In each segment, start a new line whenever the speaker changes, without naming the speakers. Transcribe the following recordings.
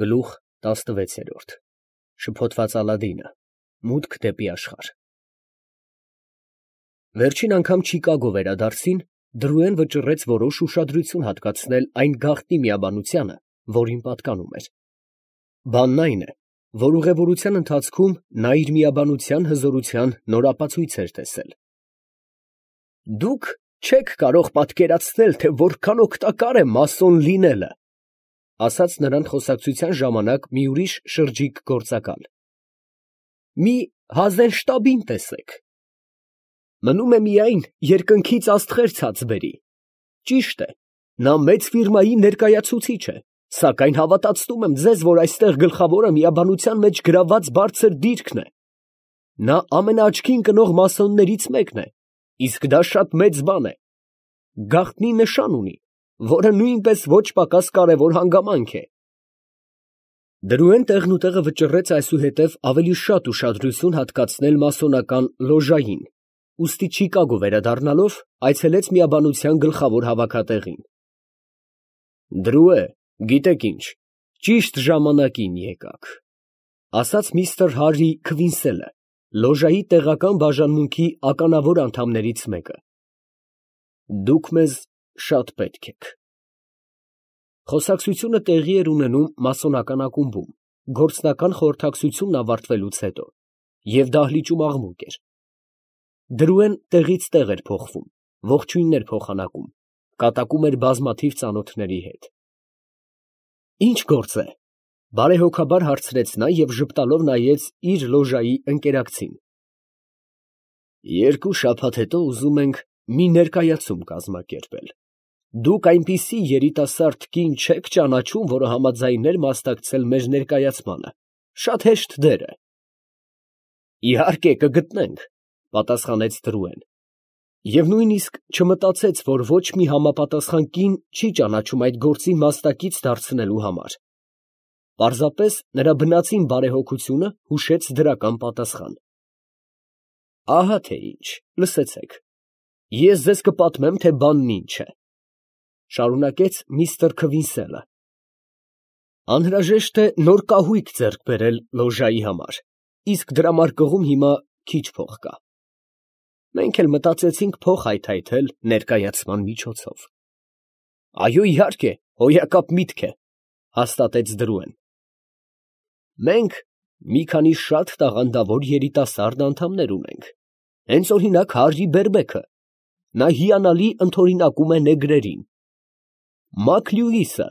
Գլուխ 16 Շփոթված Ալադինը, մուտք դեպի աշխարհ։ Վերջին անգամ Չիկագո վերադարձին Դրուեն վճռեց որոշ ուշադրություն հատկացնել այն գաղտնի միաբանությանը, որին պատկանում էր։ Բանն այն է, որ ուղևորության ընթացքում նա իր միաբանության հզորության նոր ապացույց էր տեսել։ Դուք չեք կարող պատկերացնել, թե որքան օգտակար է մասոն լինելը, ասաց նրան խոսակցության ժամանակ մի ուրիշ շրջիկ գործակալ։ Մի Հազենշտաբին տեսեք։ Մնում է միայն երկնքից աստղեր ցած բերի։ Ճիշտ է, նա մեծ ֆիրմայի ներկայացուցիչ է, սակայն հավատացնում եմ ձեզ, որ այստեղ գլխավորը միաբանության մեջ գրաված բարձր դիրքն է։ Նա ամենաաչքին կնող մասոններից մեկն է, իսկ դա շատ մեծ բան է։ Գաղտնի նշան ունի, որը նույնպես ոչ պակաս կարևոր հանգամանք է։ Դրուեն տեղնուտեղը վճռեց այսուհետև ավելի շատ ուշադրություն հատկացնել մասոնական լոժային, ուստի Չիկագո վերադառնալով այցելեց միաբանության գլխավոր հավաքատեղին։ Դրուե, գիտեք ինչ, ճիշտ ժամանակին եկաք, ասաց միստր Հարրի Քվինսելը, լոժայի տեղական բաժանմունքի ականավոր անդամներից մեկը։ Դուք մեզ շատ պետք եք։ Խոսակցությունը տեղի էր ունենում մասոնական ակումբում, գործնական խորհրդակցությունն ավարտվելուց հետո, և դահլիճում աղմուկ էր։ Դրուեն տեղից տեղ էր փոխվում, ողջույններ փոխանակում, կատակում էր բազմաթիվ ծանոթների հետ։ Ինչ գործ է, բարեհոգաբար հարցրեց նա և ժպտալով նայեց իր լոժայի ընկերակցին։ Երկու շաբաթ հետո ուզում ենք մի ներկայացում կազմակերպել։ Դուք այնպիսի երիտասարդ կին չեք ճանաչում, որը համաձայներ մասնակցել մեր ներկայացմանը, շատ հեշտ դեր է։ Իհարկե կգտնենք, պատասխանեց Դրուեն, և նույնիսկ չմտածեց, որ ոչ մի համապատասխան կին չի ճանաչում այդ գործի մասնակից դարձնելու համար։ Պարզապես նրա բնածին բարեհոգությունը հուշեց դրական պատասխան։ Ահա թե ինչ, լսեցեք, ես ձեզ կպատմեմ, թե բանն ինչ է, շարունակեց միստր Քվինսելը։ Անհրաժեշտ է նոր կահույք ձեռք բերել լոժայի համար, իսկ դրամարկղում հիմա քիչ փող կա։ Մենք էլ մտածեցինք փող հայթայթել ներկայացման միջոցով։ Այո, իհարկե, հոյակապ միտք է, հաստատեց Դրուեն։ Մենք մի քանի շատ տաղանդավոր երիտասարդ անդամներ ունենք։ Հենց օրինակ Հարրի Բերբեքը, նա հիանալի ընդօրինակում է նեգրերին։ Մակ Լյուիսը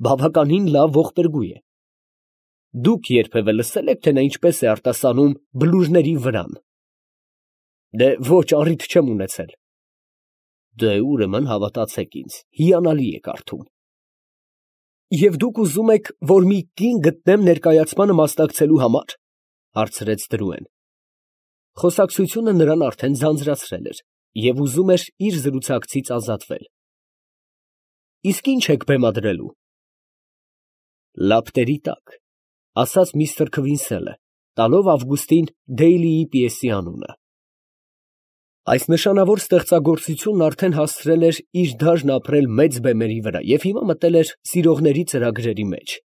բավականին լավ ողբերգու է։ Դուք երբևէ լսել եք, թե նա ինչպես է արտասանում բլուրների վրան։ Դե ոչ, առիթ չեմ ունեցել։ Դե ուրեմն հավատացեք ինձ, հիանալի է կարդում։ Եվ դուք ուզում եք, որ մի կին գտնեմ ներկայացմանը մասնակցելու համար, հարցրեց Դրուեն։ Խոսակցությունը նրան արդեն ձանձրացրել էր և ուզում էր իր զրուցակցից ազատվել։ Իսկ ինչ եք բեմադրելու։ Լապտերի տակ, ասաց միստր Քվինսելը, տալով Ավգուստին Դեյլիի պիեսի անունը։ Այս նշանավոր ստեղծագործությունն արդեն հասցրել էր իր դարն ապրել մեծ բեմերի վրա և հիմա մտել էր սիրողների ծրագրերի մեջ,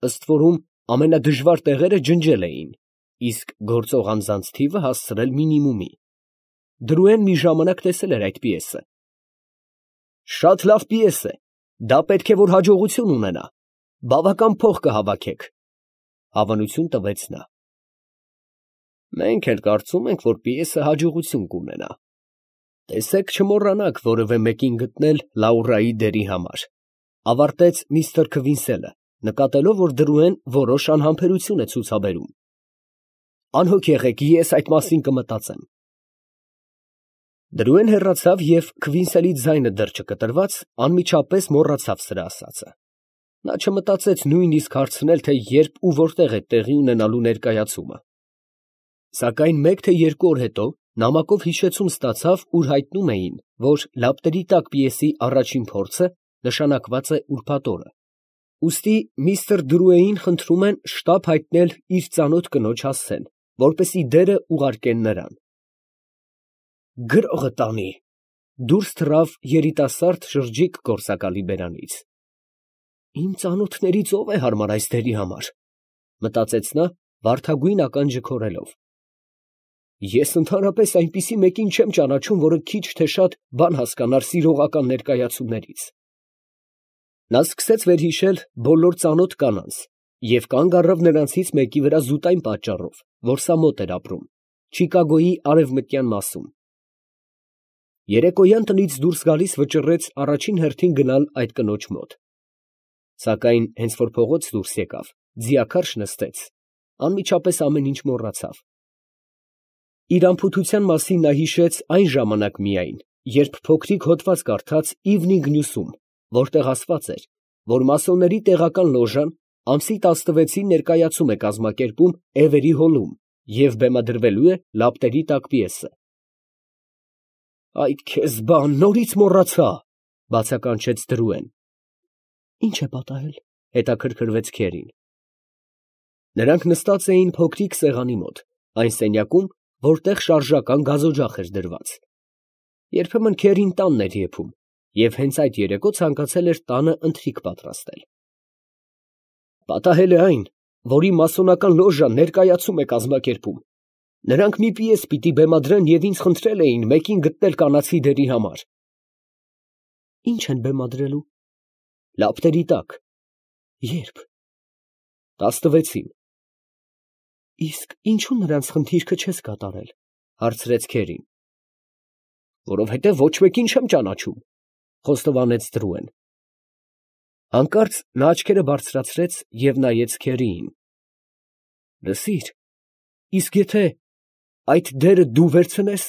ըստ որում ամենադժվար տեղերը ջնջել էին, իսկ գործող անձանց թիվը հասցրել մինիմումի։ Դրուեն մի ժամանակ տեսել էր այդ պիեսը։ Շատ լավ պիես է, դա պետք է որ հաջողություն ունենա, բավական փող կհավաքեք, հավանություն տվեց նա։ Մենք էլ կարծում ենք, որ պիեսը հաջողություն կունենա։ Տեսեք չմոռանաք որևէ մեկին գտնել Լաուրայի դերի համար, ավարտեց միստր Քվինսելը, նկատելով, որ Դրուեն որոշ անհամբերություն է ցուցաբերում։ Անհոգ եղեք, ես այդ մասին կմտածեմ։ Դրուեն հեռացավ և Քվինսելի ձայնը դեռ չկտրված, անմիջապես մոռացավ սրա ասածը։ Նա չմտածեց նույնիսկ հարցնել, թե երբ ու որտեղ է տեղի ունենալու ներկայացումը։ Սակայն մեկ թե երկու օր հետո նամակով հիշեցում ստացավ, ուր հայտնում էին, որ Լապտերի տակ պիեսի առաջին փորձը նշանակված է ուրբաթ օրը։ Ուստի միստր Դրուեին խնդրում են շտապ հայտնել իր ծանոթ կնոջ հասցեն, որպեսզի դերը ուղարկեն նրան։ Գրողը տանի, դուրս թռավ երիտասարդ շրջիկ գործակալի բերանից։ Իմ ծանոթներից ով է հարմար այս դերի համար, մտածեց նա, վարդագույն ականջը քորելով։ Ես ընդհանրապես այնպիսի մեկին չեմ ճանաչում, որը քիչ թե շատ բան հասկանար սիրողական ներկայացումներից։ Նա սկսեց վերհիշել բոլոր ծանոթ կանանց և կանգ առավ նրանցից մեկի վրա զուտային պատճառով, որ սա մոտ էր ապրում, Չիկագոյի արևմտյան մասում։ Երեկոյան տնից դուրս գալիս վճռեց առաջին հերթին գնալ այդ կնոջ մոտ։ Սակայն հենց որ փողոց դուրս եկավ, ձիաքարշ նստեց, անմիջապես ամեն ինչ մոռացավ։ Իր անփութության մասին նա հիշեց այն ժամանակ միայն, երբ փոքրիկ հոդված կարդաց Իվնինգ Նյուսում, որտեղ ասված էր, որ մասոնների տեղական լոժան ամսի 16-ին ներկայացում է կազմակերպում Էվերի հոլում և բեմադրվելու է լապտերի տակ պիեսը։ «Այդ քեզ բան, նորից մոռացա», ֊ բացականչեց Դրուեն։ «Ինչ է պատահել», ֊ հետաքրքրվեց Քերին։ Նրանք նստած էին փոքրիկ սեղանի մոտ, այն սենյակում, որտեղ շարժական գազօջախ էր դրված։ Երբեմն Քերին տանն էր եփում, և հենց այդ երեկո ցանկացել էր տանը ընթրիք պատրաստել։ Պատահել է այն, որ իմ մասոնական լոժան ներկայացում է կազմակերպում։ Նրանք մի պիես պիտի բեմադրեն և ինձ խնդրել էին մեկին գտնել կանացի դերի համար։ Ինչ են բեմադրելու։ Լապտերի տակ։ Ե՞րբ։ 16-ին։ Իսկ ինչու նրանց խնդիրքը չես կատարել, հարցրեց Քերին։ Որովհետև ոչ մեկին չեմ ճանաչում, խոստովանեց Դրուեն։ Հանկարծ նա աչքերը բարձրացրեց և նայեց Քերիին։ Լսիր, իսկ եթե այդ դերը դու վերցնես։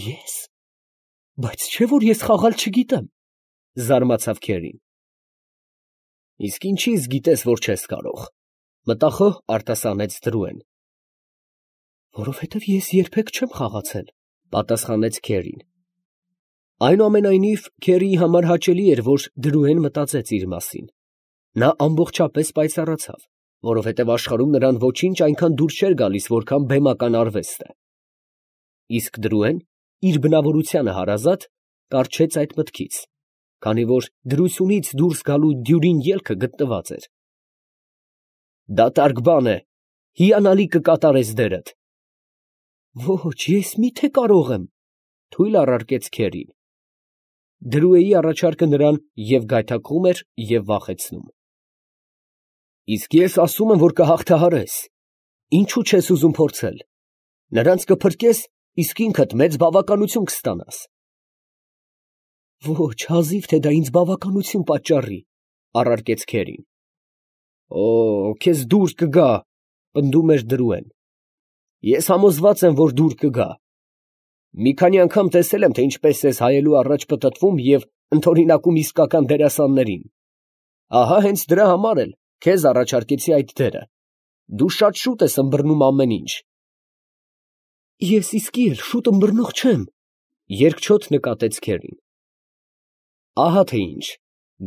Ես։ Բայց չէ՞ որ ես խաղալ չգիտեմ, զարմացավ Քերին։ Իսկ ինչի՞ց գիտես, որ չես կարող, մտախոհ արտասանեց Դրուեն։ Որովհետև ես երբեք չեմ խաղացել, պատասխանեց Քերին։ Այնուամենայնիվ, Քերիի համար հաճելի էր, որ Դրուեն մտածեց իր մասին։ Նա ամբողջապես պայծառացավ, որովհետև աշխարհում նրան ոչինչ այնքան դուր չէր գալիս, որքան բեմական արվեստը։ Իսկ Դրուեն, իր բնավորությանը հարազատ, կառչեց այդ մտքից, քանի որ դրությունից դուրս գալու դյուրին ելքը գտնված էր։ Դատարկ բան է, հիանալի կկատարես դերդ։ Ոչ, ես մի՞թե կարող եմ, թույլ առարկեց Քերին։ Դրուեի առաջարկը նրան և գայթակղում էր, և վախեցնում։ Իսկ ես ասում եմ, որ կհաղթահարես, ինչու չես ուզում փորձել, նրանց կփրկես, իսկ ինքդ մեծ բավականություն կստանաս։ Ոչ, հազիվ թե դա ինձ բավականություն պատճառի, առարկեց Քերին։ Օ, քեզ դուր կգա, պնդում էր Դրուեն։ Ես համոզված եմ, որ դուր կգա։ Մի քանի անգամ տեսել եմ, թե ինչպես ես հայելու առաջ պտտվում և ընդօրինակում իսկական դերասաններին։ Ահա հենց դրա համար էլ քեզ առաջարկեցի այդ դերը։ Դու շատ շուտ ես ըմբռնում ամեն ինչ։ Ես իսկի էլ շուտ ըմբռնող չեմ, երկչոտ նկատեց Քերին։ Ահա թե ինչ,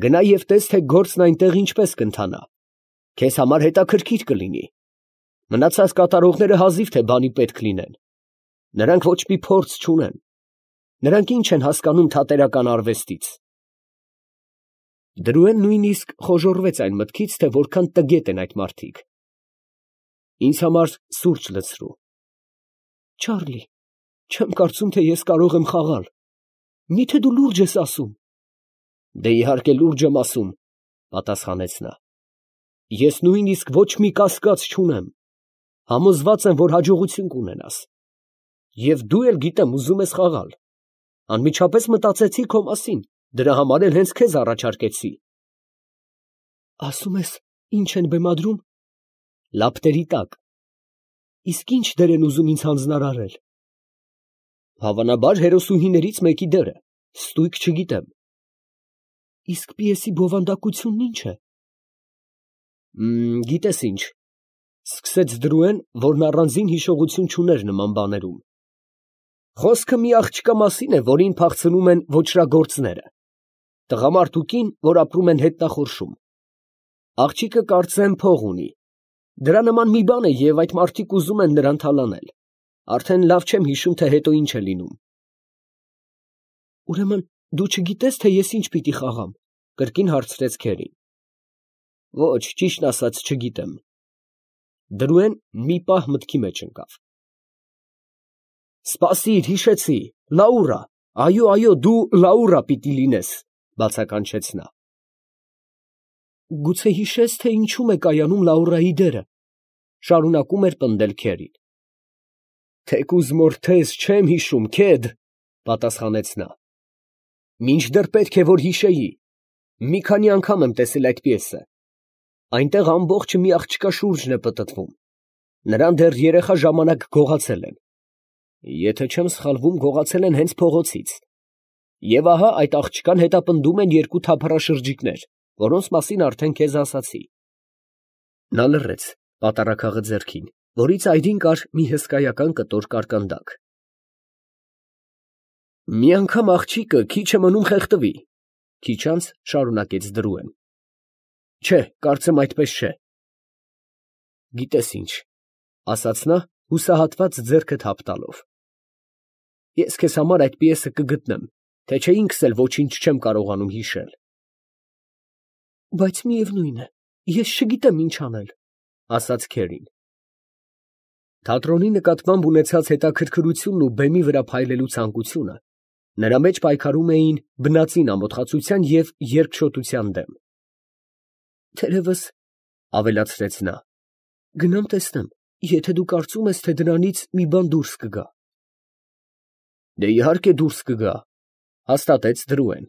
գնա և տես, թե գործն այնտեղ ինչպես կընթանա։ Քեզ համար հետաքրքիր կլինի։ Մնացած կատարողները հազիվ թե բանի պետք լինեն։ Նրանք ոչ մի փորձ չունեն։ Նրանք ինչ են հասկանում թատերական արվեստից։ Դրուեն նույնիսկ խոժոռվեց այն մտքից, թե որքան տգետ են այդ մարդիկ։ Ինձ համար սուրճ լցրու։ Չարլի, չեմ կարծում, թե ես կարող եմ խաղալ։ Միթե դու լուրջ ես ասում։ Դե իհարկե լուրջ եմ ասում, պատասխանեց նա։ Ես նույնիսկ ոչ մի կասկած չունեմ։ Համոզված եմ, որ հաջողություն կունենաս։ Եվ դու էլ գիտեմ, ուզում ես խաղալ։ Անմիջապես մտածեցի քո մասին, դրա համար էլ հենց քեզ առաջարկեցի։ Ասում ես, ինչ են բեմադրում։ Լապտերի տակ։ Իսկ ինչ դեր են ուզում ինձ հանձնարարել։ Հավանաբար հերոսուհիներից մեկի դերը, ստույգ չգիտեմ։ Իսկ պիեսի բովանդակությունն ինչ է։ Գիտես ինչ, սկսեց Դրուեն, որն առանձին հիշողություն չուներ նման բաներում։ Խոսքը մի աղջկա մասին է, որին փախցնում են ոճրագործները։ Տղամարդ ու կին, որ ապրում են հետնախորշում։ Աղջիկը կարծեմ փող ունի։ Դրա նման մի բան է և այդ մարդիկ ուզում են նրան թալանել։ Արդեն լավ չեմ հիշում, թե հետո ինչ է լինում։ Ուրեմն դու չգիտես, թե ես ինչ պիտի խաղամ, Կրկին հարցրեց քերին։ Ոչ, ճիշտն ասած չգիտեմ։ Դրուեն մի պահ մտքի մեջ ընկավ։ Սպասիր, հիշեցի, Լաուրա, այո, դու Լաուրա պիտի լինես, բացականչեց նա։ Գուցե հիշես, թե ինչում է կայանում Լաուրայի դերը, շարունակում էր պնդել քերին։ Թեկուզ մորթես չեմ հիշում, քեդ, պատասխանեց նա։ Մինչդեռ պետք է որ հիշեի։ Մի քանի անգամ եմ տեսել այդ պիեսը։ Այնտեղ ամբողջը մի աղջկա շուրջն է պտտվում։ Նրան դեռ երեխա ժամանակ գողացել են։ Եթե չեմ սխալվում, գողացել են հենց փողոցից։ Եվ ահա այդ աղջկան հետապնդում են երկու թափառաշրջիկներ, որոնց մասին արդեն քեզ ասացի։ Նա լռեց, պատառաքաղը ձեռքին, որից այրին կար մի հսկայական կտոր կարկանդակ։ Մի անգամ աղջիկը քիչ է մնում խեղդվի, քիչ անց շարունակեց Դրուեն։ Չէ, կարծեմ այդպես չէ։ Գիտես ինչ, ասաց նա, հուսահատված ձեռքը թափ տալով։ Ես քեզ համար այդ պիեսը կգտնեմ, թե չէ ինքս էլ ոչինչ չեմ կարողանում հիշել։ Բայց միևնույն է, ես չգիտեմ ինչ անել, ասաց քերին։ Թատրոնի նկատմամբ ունեցած հետաքրքրությունն ու բեմի վրա փայլելու ցանկությունը նրա մեջ պայքարում էին բնածին ամոթխացության և երկչոտության դեմ։ Թերևս, ավելացրեց նա, գնամ տեսնեմ, եթե դու կարծում ես, թե դրանից մի բան դուրս կգա։ Դե իհարկե դուրս կգա, հաստատեց Դրուեն։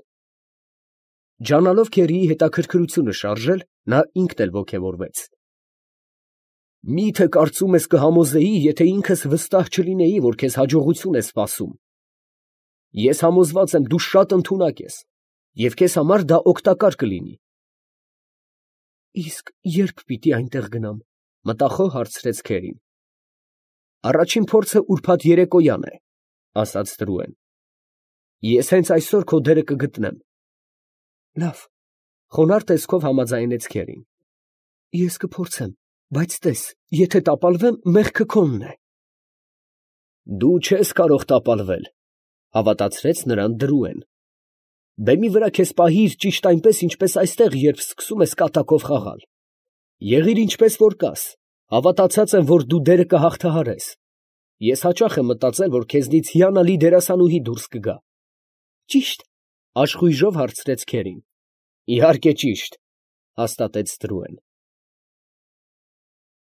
Ջանալով քերիի հետաքրքրությունը շարժել, նա ինքն էլ ոգևորվեց։ Մի՞թե կարծում ես կհամոզեի, եթե ինքս վստահ չլինեի, որ քեզ հաջողություն է սպասում։ Ես համոզված եմ, դու շատ ընդունակ ես, և քեզ համար դա օգտակար կլինի։ Իսկ ե՞րբ պիտի այնտեղ գնամ, մտախոհ հարցրեց քերին։ Առաջին փորձը ուրբաթ երեկոյան է, ասաց Դրուեն։ Ես հենց այսօր քո դերը կգտնեմ։ Լավ, խոնարհ տեսքով համաձայնեց քերին։ Ես կփորձեմ, բայց տես, եթե տապալվեմ, մեղքը քոնն է։ Դու չես կարող տապալվել, հավատացրեց նրան Դրուեն։ Բեմի վրա քեզ պահիր ճիշտ այնպես, ինչպես այստեղ, երբ սկսում ես կատակով խաղալ։ Եղիր ինչպես որ կաս, հավատացած եմ, որ դու դերը կհաղթահարես։ Ես հաճախ եմ մտածել, որ քեզնից հիանալի դերասանուհի դուրս կգա։ Ճիշտ, աշխույժով հարցրեց քերին։ Իհարկե ճիշտ, հաստատեց Դրուեն։